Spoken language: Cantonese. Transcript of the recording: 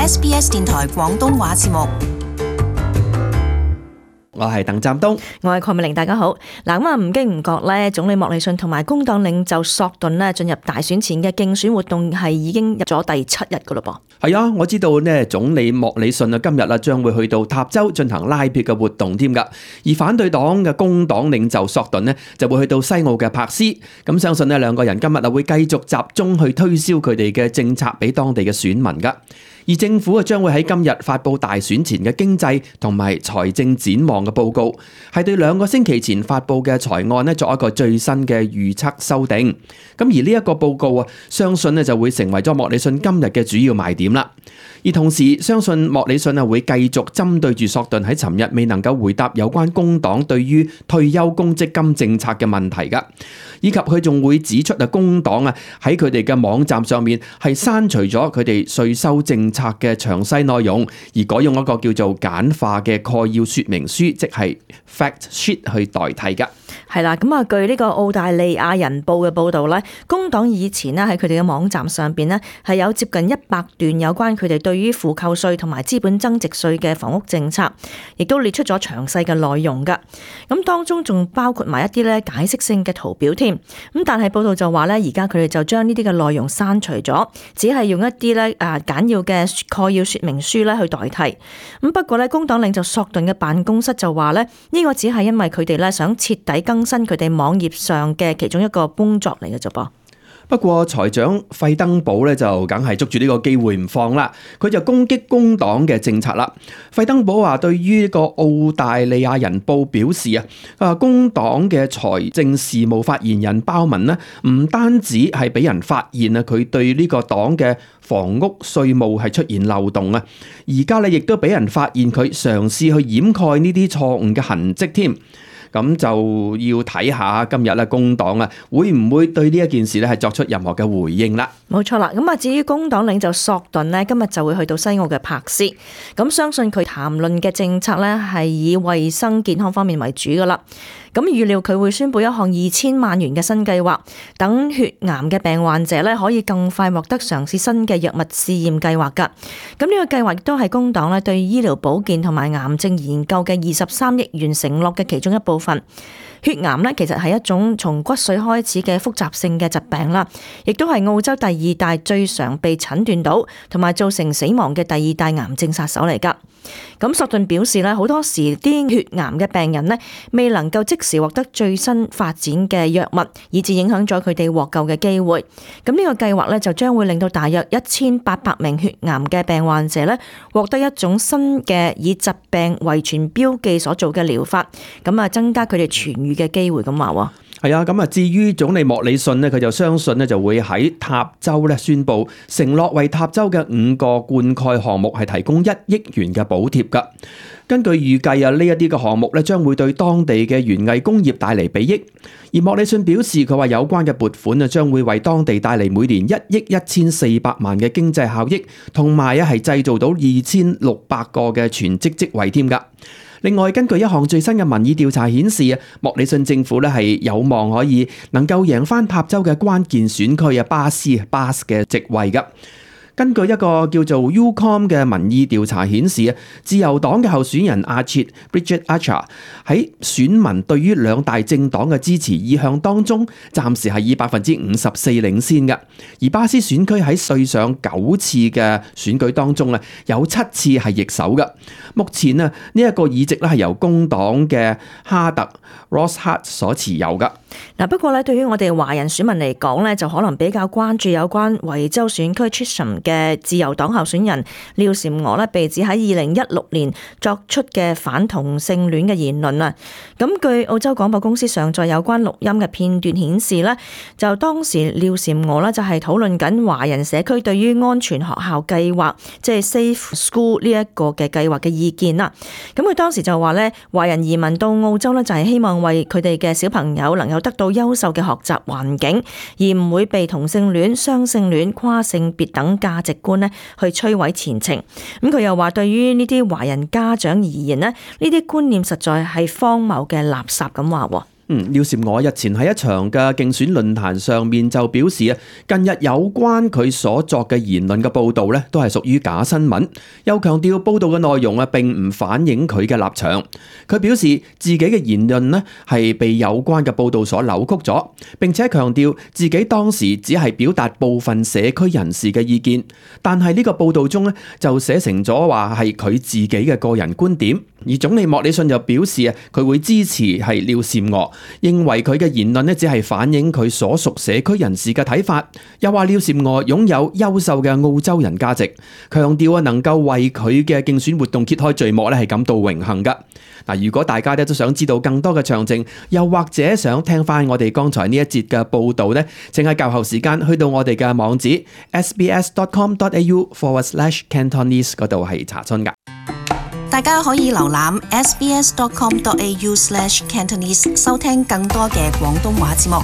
SBS 電台廣東話節目。我係鄧湛東，我係鄺美玲，大家好。嗱，咁唔經唔覺咧，總理莫里遜同埋工黨領袖索頓咧進入大選前嘅競選活動係已經入咗第7日噶咯噃。係啊，我知道咧，總理莫里遜啊今日將會去到塔州進行拉票嘅活動添噶，而反對黨嘅工黨領袖索頓咧就會去到西澳嘅柏斯。咁相信咧兩個人今日會繼續集中去推銷佢哋嘅政策俾當地嘅選民噶。而政府將會喺今日發布大選前嘅經濟同埋財政展望嘅報告，係對2個星期前發布嘅財案作一個最新嘅預測修訂。咁而呢一個報告相信就會成為咗莫里遜今日嘅主要賣點啦。而同時，相信莫里遜會繼續針對住索頓喺尋日未能夠回答有關工黨對於退休公積金政策嘅問題噶，以及佢仲會指出工黨喺佢哋嘅網站上面係刪除咗佢哋稅收政策嘅詳細內容，而改用一個叫做簡化嘅概要說明書，即係 fact sheet 去代替噶。係啦，咁據呢個澳大利亞人報嘅報導咧，工黨以前咧喺佢哋嘅網站上邊咧係有接近100段有關佢哋對於負扣稅同埋資本增值稅嘅房屋政策，亦都列出咗詳細嘅內容噶。咁當中仲包括埋一啲咧解釋性嘅圖表添。咁但係報道就話咧，而家佢哋就將呢啲嘅內容刪除咗，只係用一啲咧簡要嘅概要說明書咧去代替。咁不過咧，工黨領袖索頓嘅辦公室就話咧，呢個只係因為佢哋咧想徹底更新佢哋網頁上嘅其中一個工作嚟嘅啫噃。不過財長費登堡咧就梗係捉住呢個機會唔放啦，佢就攻擊工黨嘅政策啦。費登堡話對於呢個澳大利亞人報表示工黨嘅財政事務發言人鮑文呢，唔單止係俾人發現佢對呢個黨嘅房屋稅務係出現漏洞啊，而家咧亦都俾人發現佢嘗試去掩蓋呢啲錯誤嘅痕跡添。咁就要睇下今日工黨會唔會對呢一件事係作出任何嘅回應啦。冇錯啦，咁至於工黨領袖索頓今日就會去到西澳嘅柏斯，咁相信佢談論嘅政策係以衛生健康方面為主噶啦。咁預料佢會宣布一項2000萬元嘅新計劃，等血癌嘅病患者可以更快獲得嘗試新嘅藥物試驗計劃噶。咁呢個計劃亦都係工黨對醫療保健同埋癌症研究嘅23億元承諾嘅其中一部分。血癌其實係一種從骨髓開始嘅複雜性嘅疾病啦，亦都係澳洲第2大最常被診斷到同埋造成死亡嘅第2大癌症殺手嚟噶。咁索頓表示好多時啲血癌嘅病人未能夠即時獲得最新發展嘅藥物，以致影響咗佢哋獲救嘅機會。咁呢個計劃就將會令到大約1800名血癌嘅病患者獲得一種新嘅以疾病遺傳標記所做嘅療法，咁增加佢哋痊癒嘅機會咁話。係啊，咁至於總理莫里遜佢就相信就會喺塔州宣布承諾為塔州嘅5個灌溉項目係提供1億元嘅補貼噶。根據預計呢一啲嘅項目將會對當地嘅園藝工業帶嚟裨益。而莫里遜表示，佢話有關嘅撥款將會為當地帶嚟每年1億1400萬嘅經濟效益，同埋係製造到2600個嘅全職職位添噶。另外，根據一項最新嘅民意調查顯示，莫里遜政府係有望可以能夠贏翻塔州嘅關鍵選區巴斯嘅席位噶。根據一個叫做 UCOM 嘅民意調查顯示，自由黨嘅候選人Bridget Archer 喺選民對於2大政黨嘅支持意向當中，暫時係以54%領先嘅。而巴斯選區喺對上9次嘅選舉當中有7次係易手嘅。目前呢一個議席係由工黨嘅哈特 Ross Hart 所持有嘅。不過對於我哋華人選民嚟講就可能比較關注有關維州選區 Chisholm 嘅自由黨候選人廖嬋娥被指喺2016年作出嘅反同性戀嘅言論啊。咁據澳洲廣播公司上載有關錄音嘅片段顯示就當時廖嬋娥就係討論緊華人社區對於安全學校計劃，即係 Safe School 呢一個嘅計劃嘅意見啦。咁佢當時就話華人移民到澳洲就係希望為佢哋嘅小朋友能夠得到優秀嘅學習環境，而唔會被同性戀、雙性戀、跨性別等價值觀去摧毀前程。咁佢又話對於呢啲華人家長而言呢啲觀念實在係荒謬嘅垃圾咁話。廖嬋娥日前喺一場嘅競選論壇上面就表示啊，近日有關佢所作嘅言論嘅報導咧，都係屬於假新聞。又強調報導嘅內容啊，並唔反映佢嘅立場。佢表示自己嘅言論咧係被有關嘅報導所扭曲咗，並且強調自己當時只係表達部分社區人士嘅意見，但係呢個報導中咧就寫成咗話係佢自己嘅個人觀點。而總理莫里遜就表示啊，佢會支持係廖嬋娥，認為佢嘅言論咧只係反映佢所屬社區人士嘅睇法。又話廖嬋娥擁有優秀嘅澳洲人價值，強調啊能夠為佢嘅競選活動揭開序幕咧係感到榮幸噶。嗱，如果大家咧都想知道更多嘅詳情，又或者想聽翻我哋剛才呢一節嘅報導咧，請喺較後時間去到我哋嘅網址 sbs.com.au/Cantonese 嗰度係查詢噶。大家可以瀏覽 sbs.com.au/Cantonese 收聽更多嘅廣東話節目。